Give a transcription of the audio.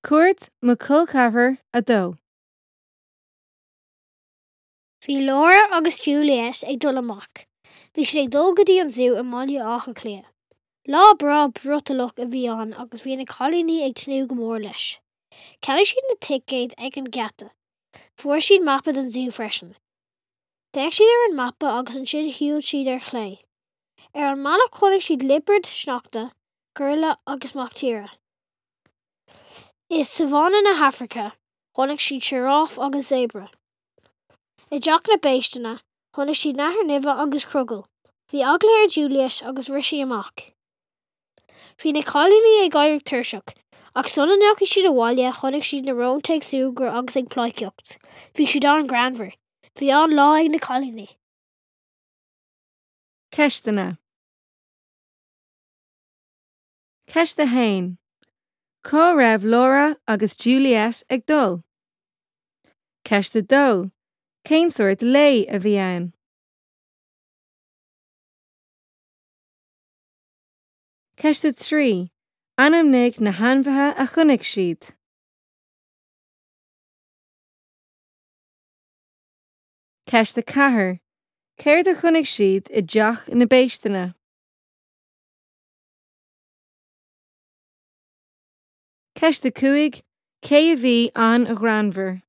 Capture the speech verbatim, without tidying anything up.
Cuairt mo chol ceathrar a dó. Bhí Laura agus Juliet ag dul amach. Bhí siad ag dul go dtí an zú i mBaile Átha Cliath. Lá breá brothallach a bhí ann agus bhí na cailíní ag tnúth go mór leis. Cheannaigh siad na ticéid ag an ngeata. Fuair siad mapa den zú freisin. D'fhéach siad ar an mapa agus ansin shiúil siad ar chlé. Ar an mbealach chonaic siad liopard sneachta, giorria agus mac tíre. I sabhánna na hAfraice, chonaic siad sioráf agus zébra. I dteach na bpéisteanna, chonaic siad nathair nimhe agus crogall. Bhí eagla ar Juliet agus rith sí amach. Bhí na cailíní ag éirí tuirseach, ach sula ndeachaigh siad abhaile chonaic siad na rónta ag súgradh agus ag pleidhcíocht. Bhí siad an-ghreannmhar. Bhí an-lá ag na cailíní. Ceisteanna Ceist a haon. Cá raibh Laura agus Juliet ag dul? Ceist a dó. Cén sórt lae a bhí ann? Ceist a trí. Ainmnigh na hainmhithe a chonaic siad. Ceist a ceathair. Céard a chonaic siad i dteach na bpéisteanna? Ceist a cúig, cé a bhí an-ghreannmhar?